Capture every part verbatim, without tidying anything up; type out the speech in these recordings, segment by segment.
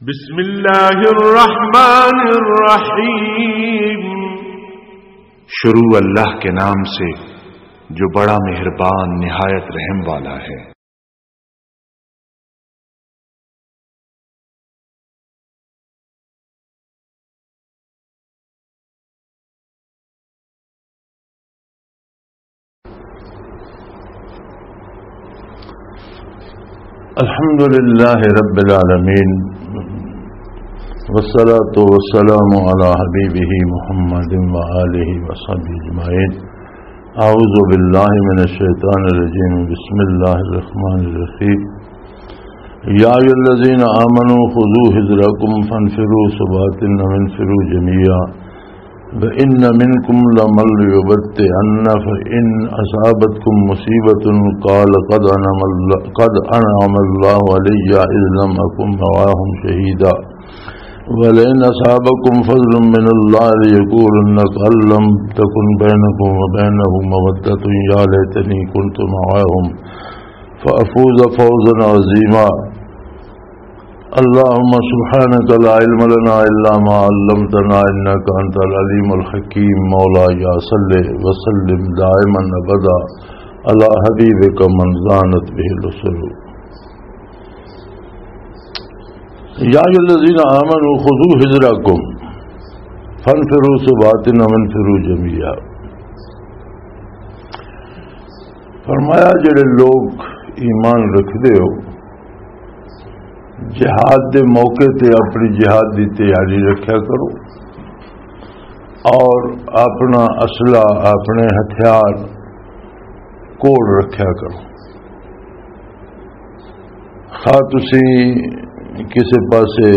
بسم اللہ الرحمن الرحیم۔ شروع اللہ کے نام سے، جو بڑا مہربان، نہایت رحم والا ہے۔ الحمد لله رب العالمين، والصلاة والسلام على حبيبه محمد وآله وصحبه أجمعين. أعوذ بالله من الشيطان الرجيم. بسم الله الرحمن الرحيم. يا أيها الذين آمنوا خذوا حذركم فانفروا ثبات أو انفروا جميعا. وإن منكم لمن ليبطئن فإن أصابتكم مصيبة قال قد أنعم الله، قد أنعم الله علي إذ لم أكن معهم شهيدا. ولئن أصابكم فضل من الله ليقولن كأن لم تكن بينكم وبينه مودة يا ليتني كنت معهم فأفوز فوزا عظيما. اللهم سبحانك لا علم لنا إلا ما علمتنا إنك أنت العليم الحكيم. مولاي صل وسلم دائما أبدا على حبيبك من زانت به الأسر. يا أيها الذين آمنوا خذوا حذركم فانفروا ثبات أو انفروا جميعا. فرمایا، جڑے لوگ ایمان رکھدے ہو، جہاد دے موقع تے اپنی جہاد دی تیاری رکھیا کرو اور اپنا اسلحہ، اپنے ہتھیار کول رکھیا کرو۔ خواہ تسی کسے پاسے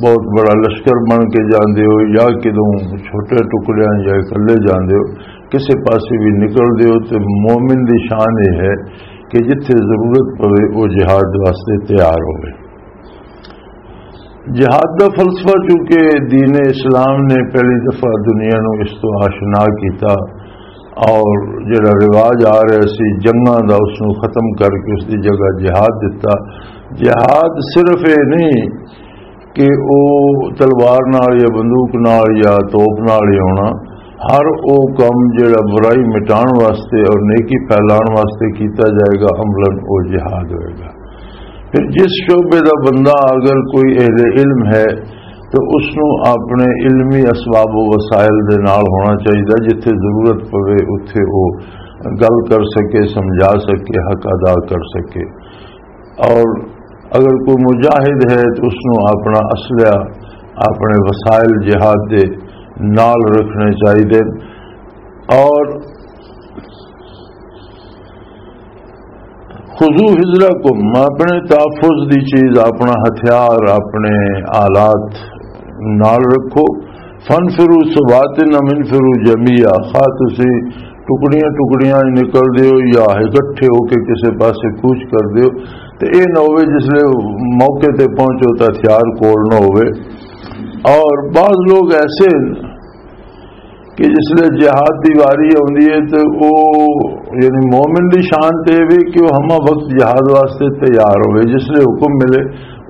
بہت بڑا لشکر بن کے جاندے ہو یا کدوں چھوٹے ٹکڑیاں یا اکلے جاندے ہو، کسے پاسے بھی نکلدے ہو، تے مومن دی شان یہ ہے کہ جتھے ضرورت پوے، وہ جہاد واسطے تیار ہوئے۔ جہاد دا فلسفہ چونکہ دین اسلام نے پہلی دفعہ دنیا نو اس تو آشنا کیتا، اور جڑا رواج آ رہا سی جنگاں دا، اس نو ختم کر کے اس دی جگہ جہاد دتا۔ جہاد صرف یہ نہیں کہ او تلوار نال یا بندوق نال یا توپ نال ہی ہونا، ہر او کم جڑا برائی مٹان واسطے اور نیکی پھیلان واسطے کیتا جائے گا، عملاً او جہاد ہوئے گا۔ پھر جس شعبے دا بندہ اگر کوئی اہل علم ہے تو اس نو اپنے علمی اسباب و وسائل دے نال ہونا چاہیے، جتھے ضرورت پوے اتھے او گل کر سکے، سمجھا سکے، حق ادا کر سکے۔ اور اگر کوئی مجاہد ہے تو اس نو اپنا اسلحہ، اپنے وسائل جہاد دے نال رکھنے چاہیے۔ اور خذوا حذرکم، اپنے تحفظ دی چیز، اپنا ہتھیار، اپنے آلات نال رکھو۔ فانفروا ثبات أو انفروا جميعا، خواہ تسی ٹکڑیاں ٹکڑیاں ہی نکل دیو یا اکٹھے ہو کے کسے پاسے کوچ کر دیو، تے اے نہ ہوئے جس لے موقع تے پہنچو تے ہتھیار کول نہ ہوئے۔ اور بعض لوگ ایسے کہ جس لے جہاد دی واری آندی ہے تے او، یعنی مومن دی شان تے وی کہ او ہمہ وقت جہاد واسطے تیار ہوئے، جس لے حکم ملے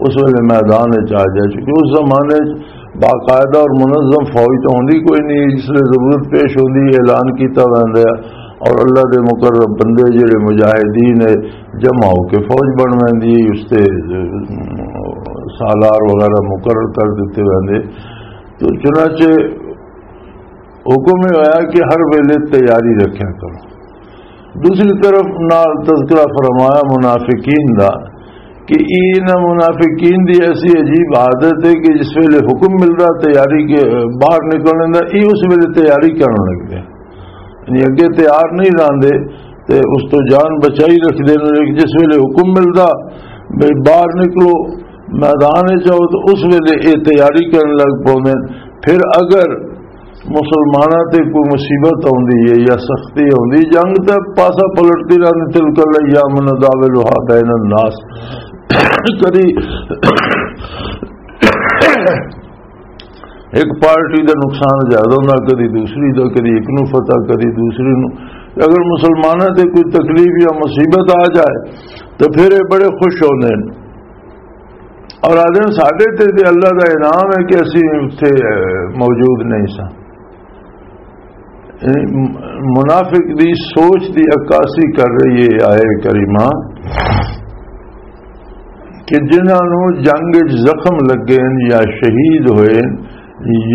اس ویلے میدان وچ آ جائے، کیونکہ اس زمانے وچ باقاعدہ اور منظم فوج تو ہوندی کوئی نہیں، جس لے ضرورت پیش ہوندی اعلان کیتا ویندا ہے اور اللہ دے مقرب بندے جڑے مجاہدین ہے جمع ہو کے فوج بن ویندی ہے، اس تے سالار وغیرہ مقرر کر دیتے ویندے۔ تو چنانچہ حکم یہ ہویا کہ ہر ویلے تیاری رکھیا کرو۔ دوسری طرف نال تذکرہ فرمایا منافقین دا کہ انہاں منافقین دی ایسی عجیب عادت ہے کہ جس ویلے حکم ملدا تیاری کے، باہر نکلنے دا، یہ اس ویلے تیاری کرن لگدے، یعنی اگے تیار نہیں راندے تے اس تو جان بچائی رکھدے نے۔ لیکن جس ویلے حکم ملدا بھئی باہر نکلو، میدان وچ آؤ، تو اس ویلے یہ تیاری کرن لگ پوندے۔ پھر اگر مسلماناں تے کوئی مصیبت آندی ہے یا سختی آندی، جنگ تے پاسا پلٹتی رہندی، تلک الایام نداولها بین الناس۔ کدی ایک پارٹی دا نقصان زیادہ ہوندا، کدی دوسری دا، کدی ایک نو فتح، کدی دوسری نو۔ اگر مسلماناں تے کوئی تکلیف یا مصیبت آ جائے تو پھر یہ بڑے خوش ہوندے نے۔ اور آدھے ساڈے تے تے اللہ دا انعام ہے کہ اسی اتھے موجود نہیں ساں۔ منافق دی سوچ دی عکاسی کر رہی ہے آیے کریمہ کہ جنہاں نوں جنگ وچ زخم لگے ہن یا شہید ہوئے ہن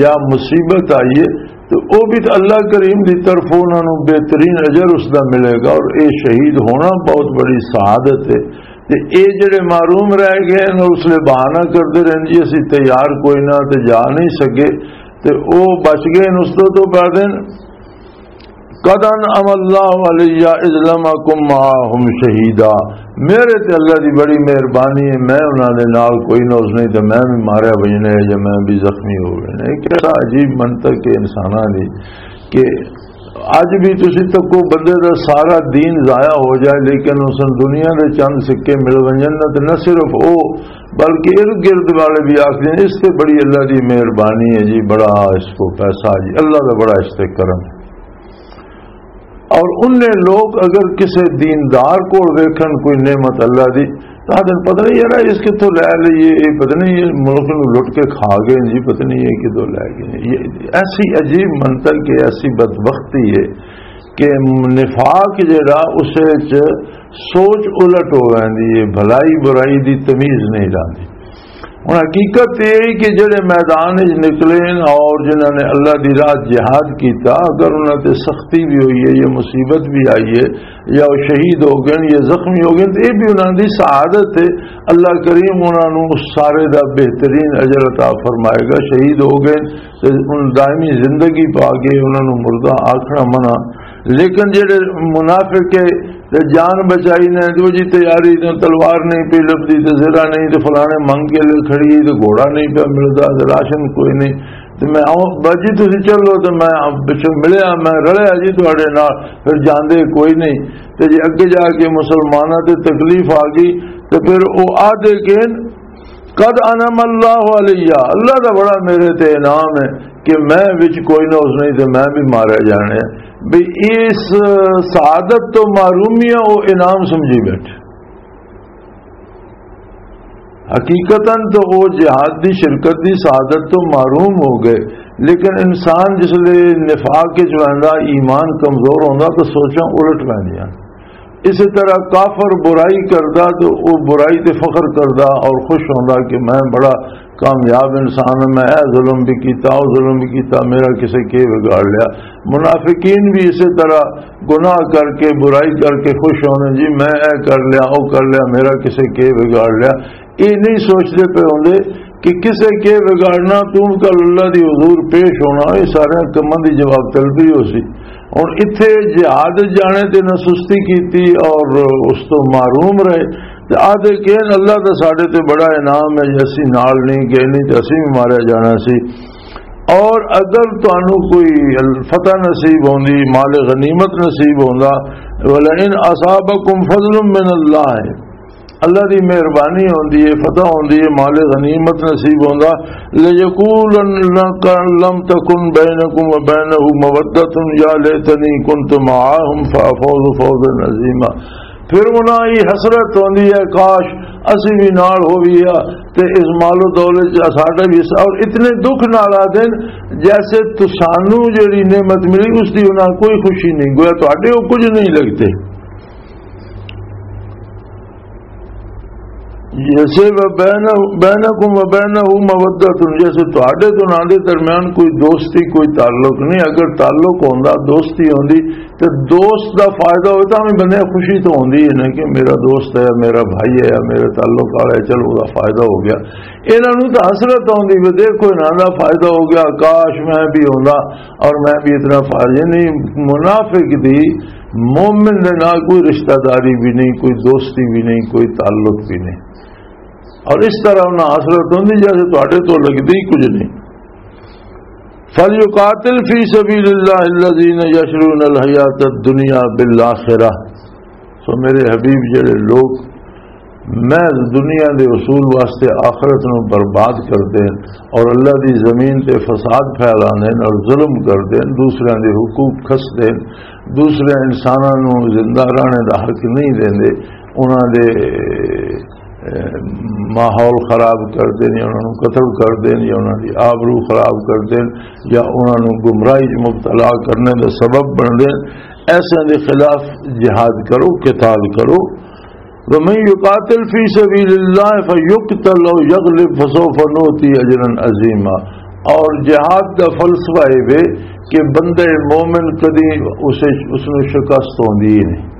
یا مصیبت آئی ہے، تو او بھی تو اللہ کریم دی طرف انہاں نوں بہترین اجر اس دا ملے گا۔ اور اے شہید ہونا بہت بڑی سعادت ہے۔ تے اے جڑے محروم رہ گئے ہن، اس لیے بہانہ کردے رہن جی اسی تیار کوئی نہ تے جا نہیں سکے، تے او بچ گئے ہن۔ اس تو تو بعد ہن، "قد انعم اللہ علی اذ لم اکن معاہم شہیدا۔" میرے تے اللہ دی بڑی مہربانی ہے، میں انہاں دے نال کوئی نہ اس نہیں تے میں بھی ماریا وجنا ہے یا میں بھی زخمی ہو گئے۔ ایک ایسا عجیب منطق ہے انساناں دی کہ اج بھی تسی تکو بندے دا سارا دین ضائع ہو جائے، لیکن اس نوں دنیا دے چند سکے مل ونجن نا، تے نہ صرف او بلکہ ارد گرد والے بھی آخدے نے، "اس تے بڑی اللہ دی مہربانی ہے جی، بڑا اس کو پیسہ جی، اللہ دا بڑا اس تے کرم ہے۔" اور انہیں لوگ اگر کسے دیندار کول ویکھن کوئی نعمت اللہ دی، تو آدھے، "پتہ نہیں یار، اس کتھوں لے لئی ہے، یہ پتہ نہیں یہ ملک نوں لٹ کے کھا گئے جی، پتہ نہیں یہ کتھوں لے گئے۔" یہ ایسی عجیب منطق ہے، ایسی بدبختی ہے کہ نفاق جڑا اس وچ سوچ الٹ ہو ویندی ہے، بھلائی برائی دی تمیز نہیں رہندی۔ ہن حقیقت یہ ہے کہ جڑے میدان وچ نکلے ہیں اور جنہاں نے اللہ دی راہ جہاد کیتا، اگر انہاں تے سختی بھی ہوئی ہے یا مصیبت بھی آئی ہے، یا وہ شہید ہو گئے یا زخمی ہو گئے، تو یہ بھی انہاں دی سعادت ہے۔ اللہ کریم انہاں نوں اس سارے دا بہترین اجر عطا فرمائے گا۔ شہید ہو گئے تے ان دائمی زندگی پا گئے، انہاں نوں مردہ آکھنا منع۔ لیکن جڑے منافق ہے تے جان بچائی نے، جو جی تیاری تے تلوار نہیں پی لبدی تے زرہ نہیں تے فلانے منگ کے لے کھڑی ہے تے گھوڑا نہیں پیا ملدا تے راشن کوئی نہیں، تے میں آؤں، بس جی تسی چلو، تے میں پچھوں ملیا، میں رلیا جی تہاڈے نال، پھر جاندے کوئی نہیں۔ تے جی اگے جا کے مسلماناں تے تکلیف آ گئی، تے پھر او آدھے کہ "قد انعم اللہ علیہ"، اللہ دا بڑا میرے تے انعام ہے کہ میں وچ کوئی نہ اس نہیں تے میں بھی ماریا جانا ہے۔ بھی اس سعادت تو محرومی ہے، وہ انعام سمجھی بیٹھے۔ حقیقتاً تو وہ جہاد دی شرکت دی سعادت تو محروم ہو گئے، لیکن انسان جس لے نفاق وچ ویندا، ایمان کمزور ہوندا، تو سوچاں الٹ ویندیاں۔ اسی طرح کافر برائی کردا تو وہ برائی تے فخر کردا اور خوش ہوندا کہ میں بڑا کامیاب انسان ہاں، میں اے ظلم بھی کیتا، او ظلم بھی کیتا، میرا کسے کے بگاڑ لیا۔ منافقین بھی اسی طرح گناہ کر کے، برائی کر کے خوش ہونے، جی میں اے کر لیا، او کر لیا، میرا کسے کے بگاڑ لیا۔ یہ نہیں سوچتے پے ہوندے کہ کسے کے بگاڑنا، تو کل اللہ دی حضور پیش ہونا، یہ سارے کماں دی جواب طلبی ہو سی۔ ہن اتھے جہاد جانے تے نہ سستی کیتی اور اس تو محروم رہے۔ تے آدھے کہ اللہ دا ساڈے تے بڑا انعام ہے، جے اسی نال نہیں گئے، نہیں تے اسی بھی ماریا جانا سی۔ اور اگر تانوں کوئی فتح نصیب ہوندی، مال غنیمت نصیب ہوندا، "ولئن اصابکم فضل من اللہ"، اللہ دی مہربانی ہوندی ہے، فتح ہوندی ہے، مال غنیمت نصیب ہوندا، "لَيَقُولَنَّ لَمْ تَكُنْ بَيْنَكُمْ وَبَيْنَهُ مَوَدَّةٌ يَا لَيْتَنِي كُنْتُ مَعَهُمْ فَأَفُوزَ فَوْزًا عَظِيمًا۔" پھر انہاں یہ حسرت ہوندی ہے، کاش اسی بھی نال ہوئی آ تے اس مال و دولت چ ساڈا بھی حصہ، اور اتنے دکھ نال آدھے نے، جیسے تسانوں جڑی نعمت ملی اس دی انہاں کوئی خوشی نہیں، گویا تہاڈے وہ کچھ نہیں لگتے۔ جیسے بینکم و بینہ مودۃ، جیسے تہاڈے تو انہاں دے درمیان کوئی دوستی، کوئی تعلق نہیں۔ اگر تعلق ہوندا، دوستی ہوندی، تے دوست دا فائدہ ہوئے تاں بھی بندے خوشی تو ہوندی ہے نا کہ میرا دوست ہے، میرا بھائی ہے، میرے تعلق والا ہے، چلو، او دا فائدہ ہو گیا۔ انہاں نوں تاں حسرت ہوندی، وی دیکھو، انہاں دا فائدہ ہو گیا، کاش میں بھی ہوندا اور میں بھی اتنا فائدہ۔ یعنی منافق دی مومن دے نال کوئی رشتہ داری بھی نہیں، کوئی دوستی بھی نہیں، کوئی تعلق بھی نہیں۔ اور اس طرح انہاں حسرت ہوندی جیسے تہاڈے تو لگدی ہی کچھ نہیں۔ فَلْيُقَاتِلْ فِي سَبِيلِ اللَّهِ الَّذِينَ يَشْرُونَ الْحَيَاةَ الدُّنْيَا بِالْآخِرَةِ۔ سو میرے حبیب، جڑے لوگ محض دنیا دے حصول واسطے آخرت نو برباد کردے ہیں اور اللہ دی زمین تے فساد پھیلاندے ہیں اور ظلم کردے ہیں، دوسرے دے حقوق کھسدے ہیں، دوسرے انساناں نو زندہ رہنے دا حق نہیں دیندے، انہاں دے ماحول خراب کردے نے، انہاں نوں قتل کردے نے، یا انہاں دی آبرو خراب کردے نے، یا انہاں نوں گمراہی 'چ مبتلا کرنے دا سبب بندے نے، ایسے دے خلاف جہاد کرو، قتال کرو۔ ومن يقاتل في سبيل الله فيقتل أو يغلب فسوف نؤتيه أجرا عظيما۔ اور جہاد دا فلسفہ یہ وے کہ بندہ مومن کدی اسے، اس نوں شکست ہوندی ہی نہیں۔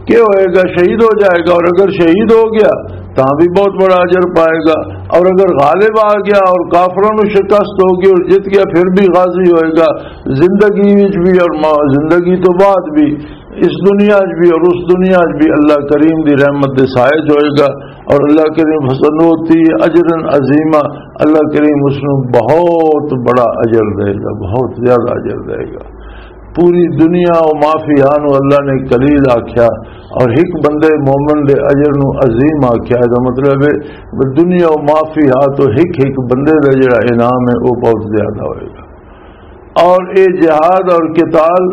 کیا ہوئے گا؟ شہید ہو جائے گا، اور اگر شہید ہو گیا تاں بھی بہت بڑا اجر پائے گا، اور اگر غالب آ گیا اور کافراں نوں شکست ہو گئی اور جیت گیا، پھر بھی غازی ہوئے گا، زندگی وچ بھی اور ما-، زندگی تو بعد بھی، اس دنیا وچ بھی اور اس دنیا وچ بھی اللہ کریم دی رحمت دے سائے ہوئے گا، اور اللہ کریم فسنوتی اجرا عظیما، اللہ کریم اس نوں بہت بڑا اجر دے گا، بہت زیادہ اجر دے گا۔ پوری دنیا و ما فیہا نو اللہ نے قلیل آکھیا، اور ایک بندے مومن دے اجر نو عظیم آکھیا۔ دا مطلب ہے کہ دنیا و ما فیہا تو ایک ایک بندے دا جڑا انعام ہے، وہ بہت زیادہ ہوئے گا۔ اور اے جہاد اور قتال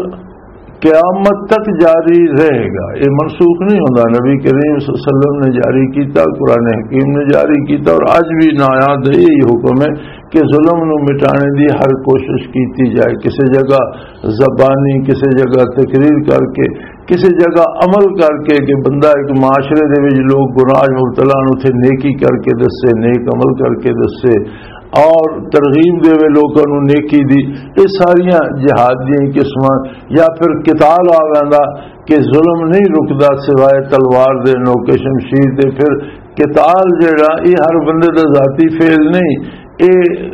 قیامت تک جاری رہے گا، یہ منسوخ نہیں ہوتا۔ نبی کریم صلی اللہ علیہ وسلم نے جاری کیتا، قرآن حکیم نے جاری کیتا، اور اج بھی نایاد ہے یہی حکم ہے کہ ظلم نو مٹانے دی ہر کوشش کیتی جائے۔ کسی جگہ زبانی، کسی جگہ تقریر کر کے، کسی جگہ عمل کر کے کہ بندہ ایک معاشرے دے وچ لوگ گناہ مبتلا نو اتھے نیکی کر کے دسے، نیک عمل کر کے دسے، اور ترغیب دے وے لوکاں نوں نیکی دی۔ یہ ساریاں جہاد دیاں قسماں۔ یا پھر قتال آ ویندا کہ ظلم نہیں رکدا سوائے تلوار دے، نوک شمشیر دے۔ پھر قتال جڑا، یہ ہر بندے دا ذاتی فعل نہیں، یہ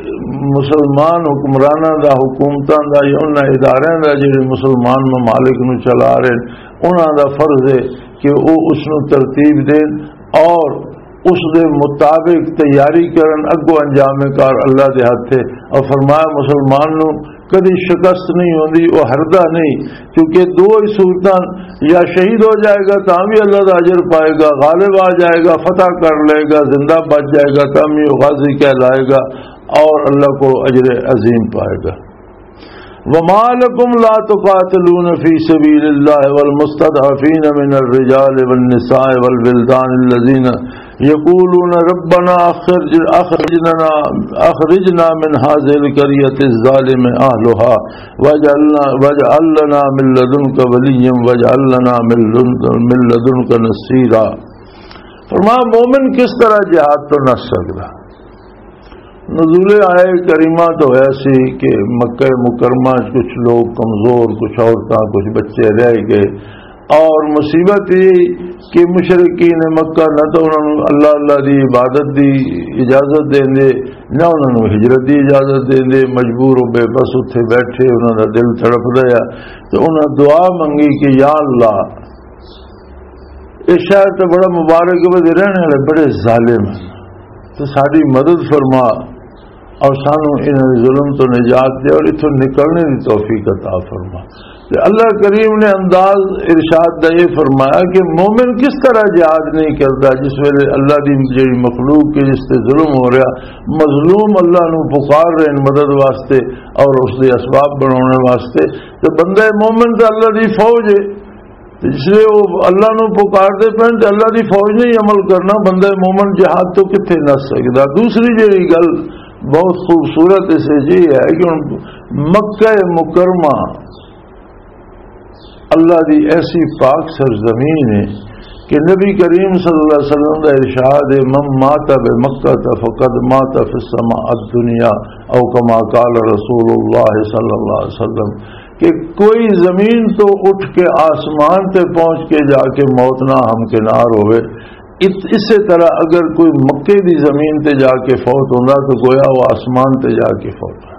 مسلمان حکمراناں دا، حکومتاں دا یا انہاں اداریاں دا، جڑے مسلمان ممالک نوں چلا رہے، انہاں دا فرض ہے کہ وہ اس نوں ترتیب دین اور اس دے مطابق تیاری کرن۔ اگوں انجام کار اللہ دے ہتھ ہے۔ اور فرمایا، مسلمان نو کدی شکست نہیں ہوندی، وہ ہردا نہیں، کیونکہ دو ہی صورتاں، یا شہید ہو جائے گا تاں بھی اللہ دا اجر پائے گا، غالب آ جائے گا، فتح کر لے گا، زندہ بچ جائے گا تاں بھی وہ غازی کہلائے گا، اور اللہ کو اجر عظیم پائے گا۔ وما لكم لا تقاتلون في سبيل الله والمستضعفين من الرجال والنساء والولدان الذين يقولون ربنا أخرج-، أخرجنا، أخرجنا من هذه القرية الظالم أهلها واجعلنا، واجعل لنا من لدنك وليا واجعل لنا من لدن-، من لدنك نصيرا۔ فرمایا، مومن کس طرح جہاد تو نس سکدا؟ نزول آیہ کریمہ تو ہویا سی کہ مکہ مکرمہ چ کچھ لوگ کمزور، کچھ عورتاں، کچھ بچے رہ گئے، اور مصیبت یہ کہ مشرقین مکہ نہ تو انہاں نوں اللہ، اللہ دی عبادت دی اجازت دیندے، نہ انہاں نوں ہجرت دی اجازت دیندے، مجبور و بے بس اتھے بیٹھے، انہاں دا دل تڑپدا ہے۔ تو انہاں دعا منگی کہ یا اللہ، اس شہر تے بڑا مبارک ہے، تے رہنے والے بڑے ظالم ہیں، تو ساری مدد فرما اور سانو انہاں دے ظلم تو نجات دے اور اتھوں نکلنے دی توفیق عطا فرما۔ تے اللہ کریم نے انداز ارشاد دا یہ فرمایا کہ مومن کس طرح جہاد نہیں کرتا جس ویلے اللہ دی جڑی مخلوق کے جس تے ظلم ہو رہا، مظلوم اللہ نو پکار رہے ہیں مدد واسطے اور اس دے اسباب بنانے واسطے، تے بندہ مومن تے اللہ دی فوج ہے۔ تے جس لئے وہ اللہ نو پکار دے پہن تے اللہ دی فوج نہیں عمل کرنا، بندہ مومن جہاد تو کتھے نس سکدا۔ دوسری جڑی گل بہت خوبصورت اس وچ یہ ہے کہ ہن مکہ مکرمہ اللہ دی ایسی پاک سرزمین ہے کہ نبی کریم صلی اللہ علیہ وسلم دا ارشاد ہے، من مات بمکہ فقد مات فی السماء الدنیا، او کما قال رسول اللہ صلی اللہ علیہ وسلم، کہ کوئی زمین تو اٹھ کے آسمان تے پہنچ کے جا کے موت نہ ہمکنار ہوئے، اس، اسے طرح اگر کوئی مکے دی زمین تے جا کے فوت ہوندا تو گویا وہ آسمان تے جا کے فوت ہوندا۔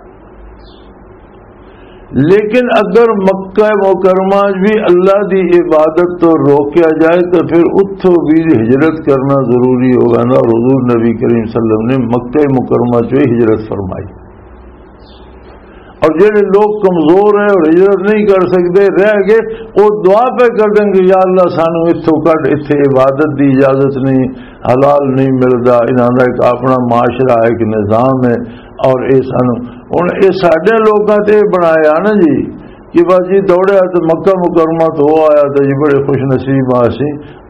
لیکن اگر مکہ مکرمہ بھی اللہ دی عبادت تو روکیا جائے تو پھر اتھوں بھی ہجرت کرنا ضروری ہوگا نا۔ اور حضور نبی کریم صلی اللہ علیہ وسلم نے مکہ مکرمہ چوں ہی ہجرت فرمائی۔ اور جڑے لوگ کمزور ہیں اور ہجرت نہیں کر سکتے، رہ گئے، وہ دعا پہ کر دیں گے، یا اللہ سانو اتھوں کڈ، اتھے عبادت دی اجازت نہیں، حلال نہیں ملدا، انہاں دا ایک اپنا معاشرہ ہے، ایک نظام ہے، اور اے سانو، ہن اے ساڈے لوکاں تے بنایا نا جی، کہ بس جی دوڑیا تو مکہ مکرمہ تو وہ آیا تو جی بڑے خوش نصیب آ سی۔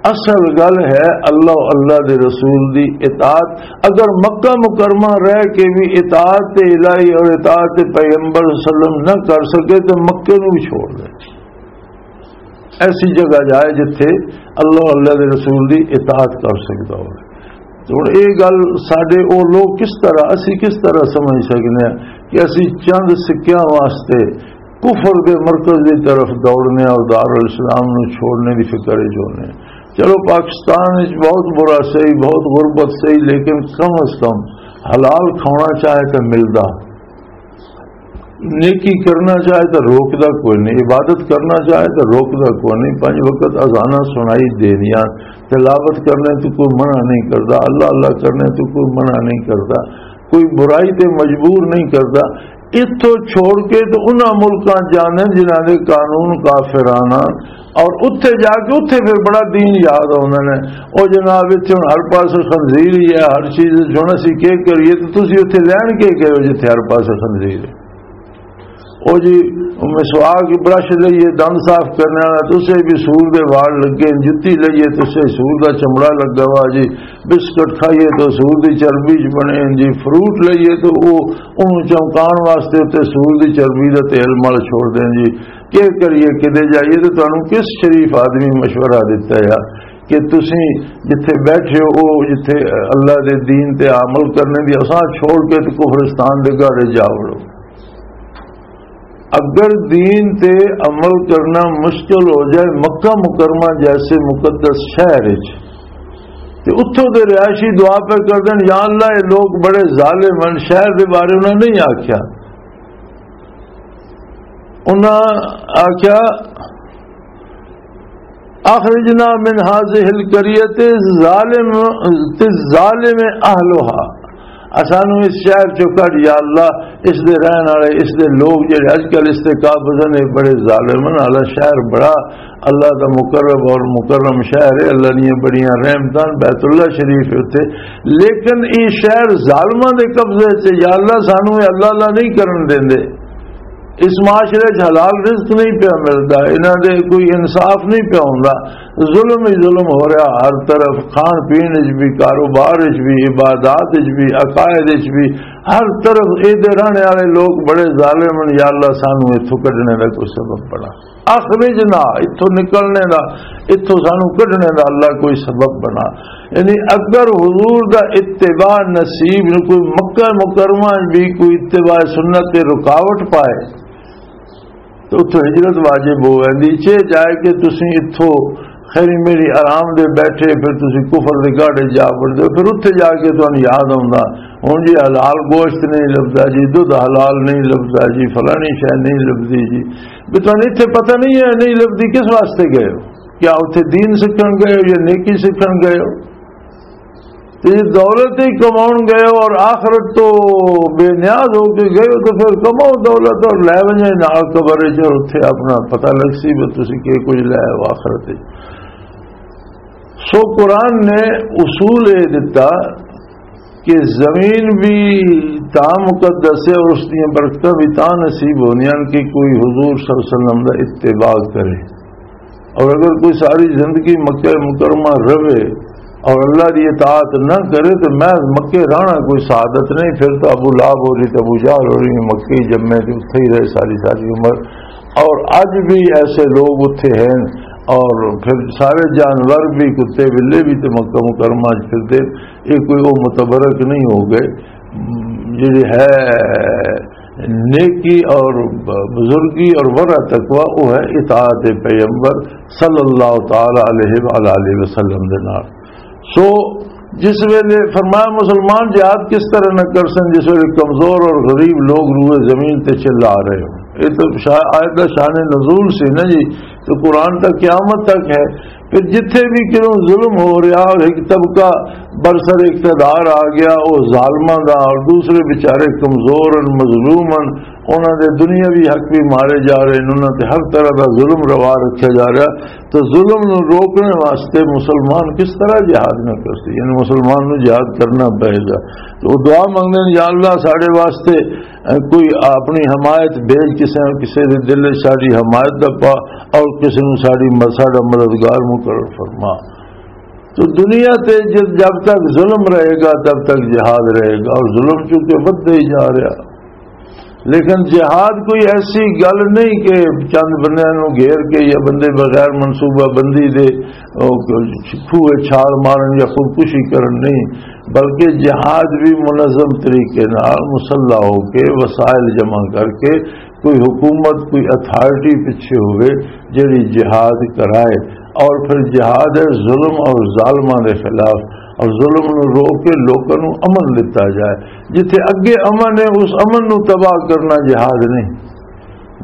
اصل گل ہے اللہ، اللہ دے رسول دی اطاعت۔ اگر مکہ مکرمہ رہ کے بھی اطاعت الہی اور اطاعت پیغمبر صلی اللہ علیہ وسلم نہ کر سکے تو مکے نو بھی چھوڑ دے، ایسی جگہ جائے جتھے اللہ، اللہ دے رسول دی اطاعت کر سکتا ہو۔ تو ہن یہ گل ساڈے او لوگ کس طرح، اسی کس طرح سمجھ سکنے ہیں کہ اسی چند سکیاں واسطے کفر دے مرکز دی طرف دوڑنے اور دارالاسلام نو چھوڑنے دی فکر وچ ہونے ہیں؟ چلو، پاکستان وچ بہت برا سہی، بہت غربت سہی، لیکن کم از کم حلال کھانا چاہے تو ملدا، نیکی کرنا چاہے تو روکدا کوئی نہیں، عبادت کرنا چاہے تو روکدا کوئی نہیں، پنج وقت اذاناں سنائی دینیاں، تلاوت کرنے تو کوئی منع نہیں کردا، اللہ اللہ کرنے تو کوئی منع نہیں کردا، کوئی برائی تے مجبور نہیں کردا۔ اتھوں چھوڑ کے تو انہاں ملکاں جانے جنہاں دے قانون کافرانہ، اور اتھے جا کے اتھے پھر بڑا دین یاد آوندا نے۔ او جناب، اتھے ہن ہر پاسے خنزیر ہی ہے، ہر چیز وچ ہن اسی کی کریے؟ تے تسی اتھے لین کے گئے ہو جتھے ہر پاسے خنزیر ہے؟ او جی، مسواک، برش لئیے، دند صاف کرنے والا، تے اسے بھی سور دے وال لگے، جتی لئیے تے اسے سور دا چمڑا لگا ہوا جی، بسکٹ کھائیے تے سور دی چربی چ بنے جی، فروٹ لئیے تے او، اونوں چمکان واسطے تے سور دی چربی دا تیل مل چھوڑ دیں جی۔ کیا کریے، کدے جائیے تے تانوں کس شریف آدمی مشورہ دتا ہے کہ تسی جتھے بیٹھے ہو، جتھے اللہ دے دین تے عمل کرنے دی، اساں چھوڑ کے تے کفرستان دے گھر جا وڑو؟ اگر دین تے عمل کرنا مشکل ہو جائے مکہ مکرمہ جیسے مقدس شہر وچ، تے اتھوں دے رہائشی دعا پہ کر دین، "یا اللہ، یہ لوگ بڑے ظالم ہیں، شہر دے بارے انہاں نہیں آکھیا۔" انہاں آکھیا، "اخرجنا من هذه القرية ظالم، تے ظالم اہلہا۔" اسانو اس شہر چوں کڈ یا اللہ، اس دے رہن والے، اس دے لوگ جڑے اج کل اس تے قابض نے، بڑے ظالم ہیں۔ حالانکہ شہر بڑا اللہ دا مقرب اور مکرم شہر ہے، اللہ دیاں بڑیاں رحمتاں، بیت اللہ شریف ہے اتھے، لیکن یہ شہر ظالماں دے قبضے چ، یا اللہ سانو یہ اللہ اللہ نہیں کرن دیندے۔ اس معاشرے چ حلال رزق نہیں پیا ملدا، انہاں دے کوئی انصاف نہیں پیا ہوندا، ظلم ہی ظلم ہو رہا ہر طرف، کھان پین وچ بھی، کاروبار وچ بھی، عبادات وچ بھی، عقائد وچ بھی، ہر طرف اے دے رہنے والے لوگ بڑے ظالم ہیں۔ یا اللہ سانو اتھوں کڈنے دا کوئی سبب بنا، اخرجنا، اتھوں نکلنے دا، اتھوں سانو کڈنے دا اللہ کوئی سبب بنا۔ یعنی اگر حضور دا اتباع نصیب نو کوئی مکہ مکرمہ وچ بھی کوئی اتباع سنت تے رکاوٹ پائے، تو اتھوں ہجرت واجب ہو ویندی۔ چے جائے کہ تسی اتھوں خیری میری آرام دے بیٹھے، پھر تسی کفر دے گاڑے جا وڑدے ہو، پھر اتھے جا کے تانوں یاد آوندا، ہن جی حلال گوشت نہیں لبدا جی، دودھ حلال نہیں لبدا جی، فلانی شے نہیں لبدی جی۔ بھی تانوں اتھے پتہ نہیں ہے نہیں لبدی، کس واسطے گئے ہو؟ کیا اتھے دین سکھن گئے ہو یا نیکی سکھن گئے ہو؟ تے جے دولت ہی کماؤن گئے ہو اور آخرت تو بے نیاز ہو کے گئے ہو، تو پھر کماؤ دولت اور لے ونجے نال قبر وچ، اور اتھے اپنا پتہ لگ سی بھی تسی کی کچھ لے آئے ہو آخرت وچ۔ سو قرآن نے اصول یہ دتا کہ زمین بھی تا مقدس ہے اور اس دیا برکتاں بھی تا نصیب ہوندیاں کہ کوئی حضور صلی اللہ علیہ وسلم دا اتباع کرے۔ اور اگر کوئی ساری زندگی مکہ مکرمہ رہے اور اللہ دی اطاعت نہ کرے تو محض مکے رہنا کوئی سعادت نہیں۔ پھر تو ابو لہب ہو رہی، تو ابو جہل ہو رہی، مکے ہی جمے تے اتھے ہی رہے ساری ساری عمر۔ اور اج بھی ایسے لوگ اتھے ہیں، اور پھر سارے جانور بھی، کتے بلے بھی تے مکہ مکرمہ وچ پھردے۔ یہ کوئی وہ متبرک نہیں ہو گئے۔ جڑی ہے نیکی اور بزرگی اور ورع تقوی، وہ ہے اطاعت پیغمبر صلی اللہ تعالی علیہ وآلہ وسلم دے نال۔ سو جس ویلے فرمایا، مسلمان جہاد کس طرح نہ کر سن جس ویلے کمزور اور غریب لوگ روئے زمین تے چلا رہے ہو؟ یہ تو شا-، آیت دا شان نزول سی نا جی، تو قرآن تا قیامت تک ہے۔ پھر جتھے بھی کیوں ظلم ہو رہا اور ایک طبقہ برسر اقتدار آ گیا، وہ ظالماں دا، اور دوسرے بیچارے کمزور ہیں، مظلوم ہیں، انہاں دے دنیاوی حق بھی مارے جا رہے ہیں، انہاں تے ہر طرح دا ظلم روا رکھیا جا رہا۔ تو ظلم نو روکنے واسطے مسلمان کس طرح جہاد نہ کر سی؟ یعنی مسلمان نو جہاد کرنا پئے گا۔ تو وہ دعا منگدے نے، "یا اللہ، ساڈے واسطے، اے، کوئی اپنی حمایت بھیج، کسے، کسے دے دل وچ ساڈی حمایت دا پا، اور کسے نو ساڈی م-، ساڈا مددگار مقرر فرما۔" تو دنیا تے جب، جب تک ظلم رہے گا، تب تک جہاد رہے گا، اور ظلم چونکہ ودھدا ہی جا رہا۔ لیکن جہاد کوئی ایسی گل نہیں کہ چند بندیاں نوں گھیر کے یا بندے بغیر منصوبہ بندی دے، او، کھوہ چھال مارن یا خودکشی کرن نہیں، بلکہ جہاد بھی منظم طریقے نال مسلح ہو کے، وسائل جمع کر کے، کوئی حکومت، کوئی اتھارٹی پیچھے ہوئے جڑی جہاد کرائے، اور پھر جہاد ہے ظلم اور ظالماں دے خلاف، اور ظلم نوں روک کے لوکاں نوں امن دتا جائے۔ جتھے اگے امن ہے، اس امن نوں تباہ کرنا جہاد نہیں۔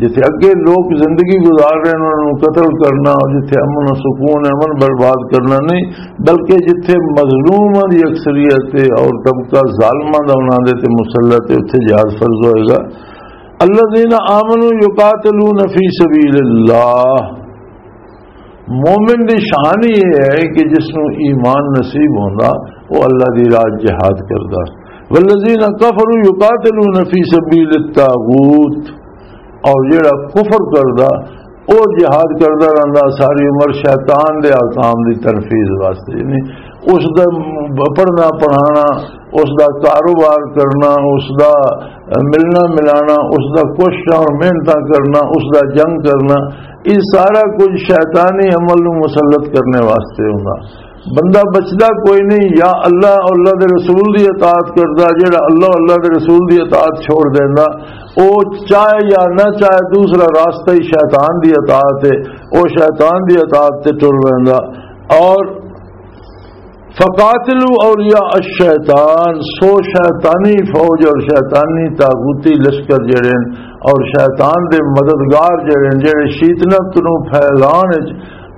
جتھے اگے لوگ زندگی گزار رہے ہیں، انہاں نوں قتل کرنا، اور جتھے امن و سکون ہے، امن برباد کرنا نہیں، بلکہ جتھے مظلوماں دی اکثریت ہے اور طبقہ ظالماں دا انہاں دے تے مسلط ہے، اتھے جہاد فرض ہوئے گا۔ الذین آمنوا یقاتلون فی سبیل اللہ۔ مومن دی شان یہ ہے کہ جس نوں ایمان نصیب ہوندا، وہ اللہ دی راہ جہاد کردا۔ والذین کفروا یقاتلون فی سبیل الطاغوت، اور جڑا کفر کردا، او جہاد کردا رہندا ساری عمر شیطان دے احکام دی تنفیذ واسطے، یعنی اس دا پڑھنا پڑھانا، اس دا کاروبار کرنا، اس دا ملنا ملانا، اس دا کوششاں اور محنتاں کرنا، اس دا جنگ کرنا، یہ سارا کچھ شیطانی عمل نوں مسلط کرنے واسطے ہوندا۔ بندہ بچدا کوئی نہیں، یا اللہ اور اللہ دے رسول دی اطاعت کردا، جڑا اللہ اور اللہ دے رسول دی اطاعت چھوڑ دیندا، او چاہے یا نہ چاہے دوسرا راستہ ہی شیطان دی اطاعت ہے، او شیطان دی اطاعت تے ٹر ویندا۔ اور فقاتلوا اولیاء الشیطان، سو شیطانی فوج اور شیطانی طاغوتی لشکر جڑے ہیں، اور شیطان دے مددگار جڑے ہیں، جڑے شیطنت نو پھیلان وچ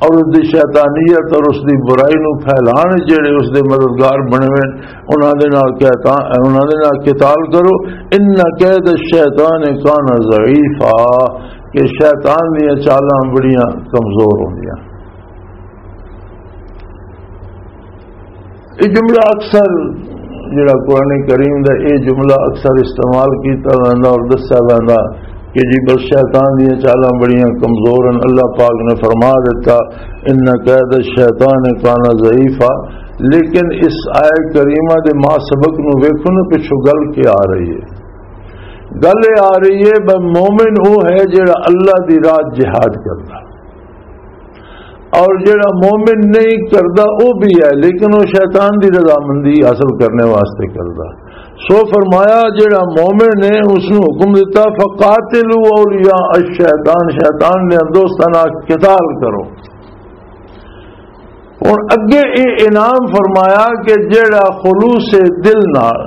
اور اس دی شیطانیت اور اس دی برائی نو پھیلان وچ جڑے اس دے مددگار بنے ہوئے ہیں، انہاں دے نال قتال، انہاں دے نال قتال کرو۔ ان کید الشیطان کان ضعیفا، کہ شیطان دیاں چالاں بڑیاں کمزور ہوندیاں۔ یہ جملہ اکثر، جڑا قرآن کریم دا یہ جملہ اکثر استعمال کیتا ویندا اور دسیا ویندا کہ جی بس شیطان دیاں چالاں بڑیاں کمزور ہیں۔ اللہ پاک نے فرما دیتا، ان کید الشیطان کان ضعیفا، لیکن اس آیت کریمہ دے ما سبق نو ویکھو نا، پچھو گل کیا آ رہی ہے؟ گل یہ آ رہی ہے بھئی مومن وہ ہے جڑا اللہ دی راہ جہاد کردا، اور جڑا مومن نہیں کردا وہ بھی ہے، لیکن وہ شیطان دی رضامندی حاصل کرنے واسطے کردا۔ سو فرمایا، جڑا مومن ہے اس نو حکم دیتا، فقاتلوا اولیاء الشیطان، شیطان دے دوستاں نال قتال کرو۔ ہن اگے یہ انعام فرمایا کہ جڑا خلوص دل نال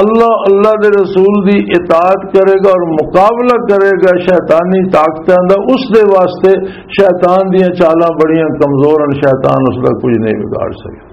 اللہ، اللہ دے رسول دی اطاعت کرے گا اور مقابلہ کرے گا شیطانی طاقتاں دا، اس دے واسطے شیطان دیاں چالاں بڑیاں کمزور ہیں، شیطان اس دا کچھ نہیں بگاڑ سکدا۔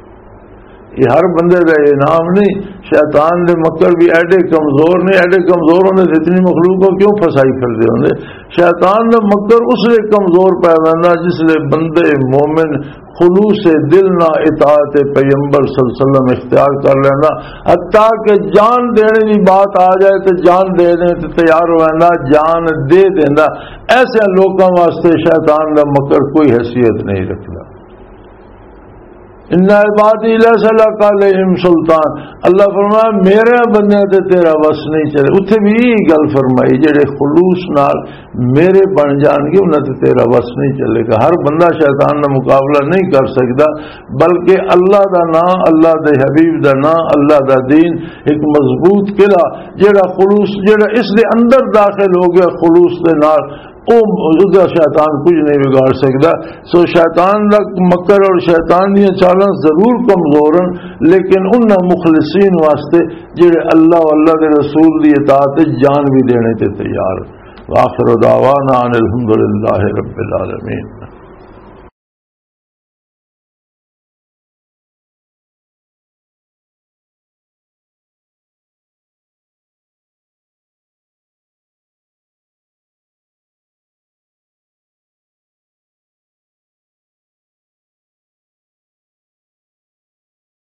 یہ ہر بندے دا انعام نہیں۔ شیطان دے مکر بھی ایڈے کمزور نے، ایڈے کمزور ہوندے تے اتنی مخلوق کو کیوں پھنسائی پھردے ہوندے؟ شیطان دا مکر اس لئے کمزور پے ویندا جس لئے بندے مومن خلوص دل نہ اطاعت پیغمبر صلی اللہ علیہ وسلم اختیار کر لیندا، حتیٰ کہ جان دینے دی بات آ جائے تے جان دینے تے تیار ہو ویندا، جان دے دیندا۔ ایسے لوکاں واسطے شیطان دا مکر کوئی حیثیت نہیں رکھدا۔ ان عبادی لیس لک علیہم سلطان، اللہ فرمایا میرے بندے تے تیرا وس نہیں چلے۔ اتھے بھی یہی گل فرمائی، جڑے خلوص نال میرے بن جان گے، انہاں تے تیرا وس نہیں چلے گا۔ ہر بندہ شیطان دا مقابلہ نہیں کر سکدا، بلکہ اللہ دا نام، اللہ دے حبیب دا نام، اللہ دا دین ایک مضبوط قلعہ، جڑا خلوص، جڑا اس دے اندر داخل ہو گیا خلوص دے نال، او، او دا شیطان کچھ نہیں بگاڑ سکدا۔ سو شیطان دا مکر اور شیطان دیاں چالاں ضرور کمزور ہیں، لیکن انہاں مخلصین واسطے جڑے اللہ و اللہ دے رسول دی اطاعت وچ جان بھی دینے تے تیار ہیں۔ وآخر دعوانا ان الحمد للہ رب العالمین۔